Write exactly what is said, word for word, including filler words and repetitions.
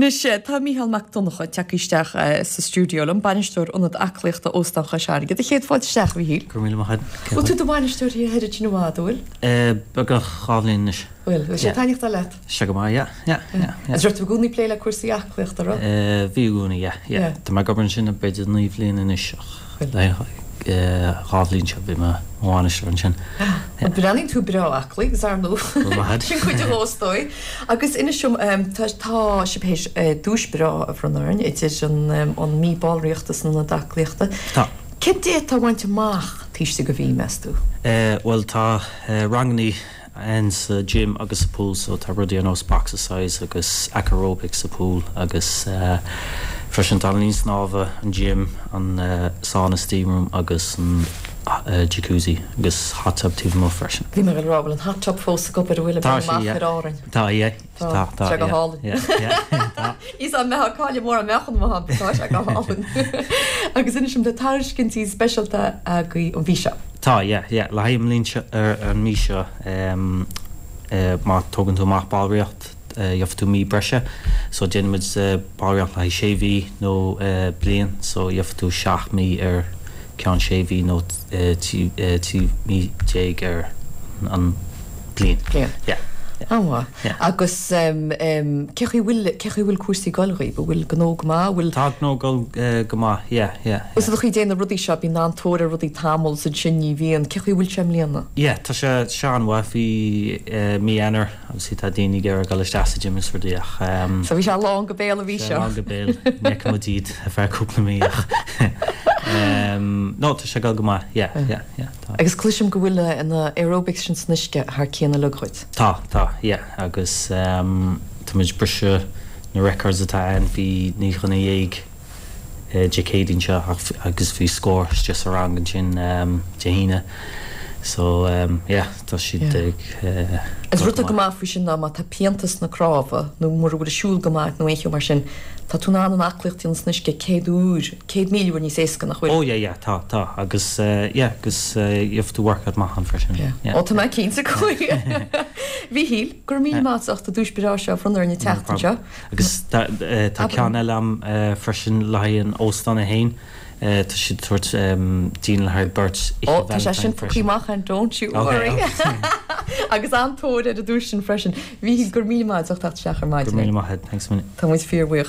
Anois tá Mícheál Mac Donncha tagtha isteach sa stiúideo liom, bainisteoir ionad aclaíochta Óstán Chois Fharraige. Do chéad fáilte isteach, a Mhíchíl. Go raibh míle maith agat. Bhfuil tú i do bhainisteoir thiar oiread sin i bhfad, an bhfuil? Beagnach dhá bhliain anois. Bhfuil, bhfuil sé ag taitneachtáil leat? Sé go maith, yeah, yeah, yeah, yeah. Agus raibh tú i gcónaí ag plé le cúrsaí aclaíochta, raibh? Bhí i gcónaí, yeah, yeah. Tá mé ag obair ansin b'fhéidir naoi bhliain anois ach dhá bhliain seo bhí mé mo bhainisteoir ansin. Bhuel, breathnaíonn tú breá aclaí agus ar ndóigh sin cuid de is dóigh. Agus inis dom, tá sibh théis duais breá a bhronnadh orainn idir an mí ballraíochta san ionad aclaíochta. Tá. Cén d'fhéadfá a bhaint amach taobh istigh de mhí, meas tú? Bhuel, tá rangannaí ann sa gym agus sa pool so tá rudaí ar nós boxercise agus aquarobics sa pool agus freisin tá an linn snámha, an gym, an sauna steam room agus an jacuzzi agus hot tub taobh amuigh freisin. Bhí mé ag rá, bhfuil an hot tub fós ag obair, an bhfuil, Tá sé, amach yeah. ar Árainn? Tá, yeah. Tá, Tá, tá sé go yeah. hálainn. Yeah, yeah, tá. Is an mbeadh cáile mór an mbeadh an mhaith tá sé go hálainn. Agus inis dom tá tairiscintí speisialta agaibh an mhí seo. Tá, yeah, yeah. Le haghaidh an mbliain seo, ar an mí seo, em, eh, má tógann tú amach ballraíocht, eh, gheobhaidh tú mí breise. So déanaimid eh, ballraíocht le haghaidh sé mhí nó eh, bliain, so gheobhaidh tú seacht mí ar ceann sé mhí nó eh, trí eh, trí mí déag ar an bliain. Bliain. Yeah. yeah. An-mhaith. Yeah. Agus um, um, cé chaoi bhfuil cé chaoi bhfuil cúrsaí ag dul dhaoibh, bhfuil gnó go maith, bhfuil Tá gnó ag dul eh, go maith, yeah, yeah. Is a chaoi déanamh rudaí seo bíonn an-tóir ar rudaí tamall is ansin ní bhíonn, cé chaoi bhfuil sé i mbliana? Yeah, tá sé sé an-mhaith bhí eh, mí Eanáir obviously tá daoine ag iarraidh dul isteach sa gym is rudaí ach um, So bhí sé lán go béal a bhí seo. lán go béal ní fhaca iad ar feadh cúpla mí ach um, no tá sé ag dul go maith, yeah, yeah, yeah, tá. Agus cloisim go bhfuil na aerobics sin san uisce thar cionn uilig dhuit. Tá, tá, yeah, agus um, tá muid briseadh na records atá ann bhí naoi dhuine dhéag eh, Dé Céadaoin seo ach- agus bhí scór istigh sa rang ansin um, Dé hAoine. So um, yeah, tá siad Yeah. ag uh, Is rud go maith faoi sin ná má tá pianta sna cnámha nó mura bhfuil siúl go maith nó aon cheo mar sin, tá tú in ann an aclaíocht san uisce céad uair, céad míle uair níos éasca nach bhfuil. Oh yeah, yeah, tá, tá, agus uh, yeah, agus uh, you have to work out maith an freisin. Yeah. Yeah. Ó tá mé cinnte go Mhíchíl, gur mí má ach dúis breá seo front ar na teachtain seo. Agus tá eh, tá Abair. ceann eile am eh, freisin le haghaidh an óstán a haon. Eh, Tá siad tabhairt um, daoine le haghaidh beirt Ó tá sé sin fágtha amach an don't you Okay, worry. Agus an-tóir ar an duais sin freisin. Bhí gur mí má teacht seach ar Go maidin. míle maith, thanks a million. Tá muid fíorbhuíoch.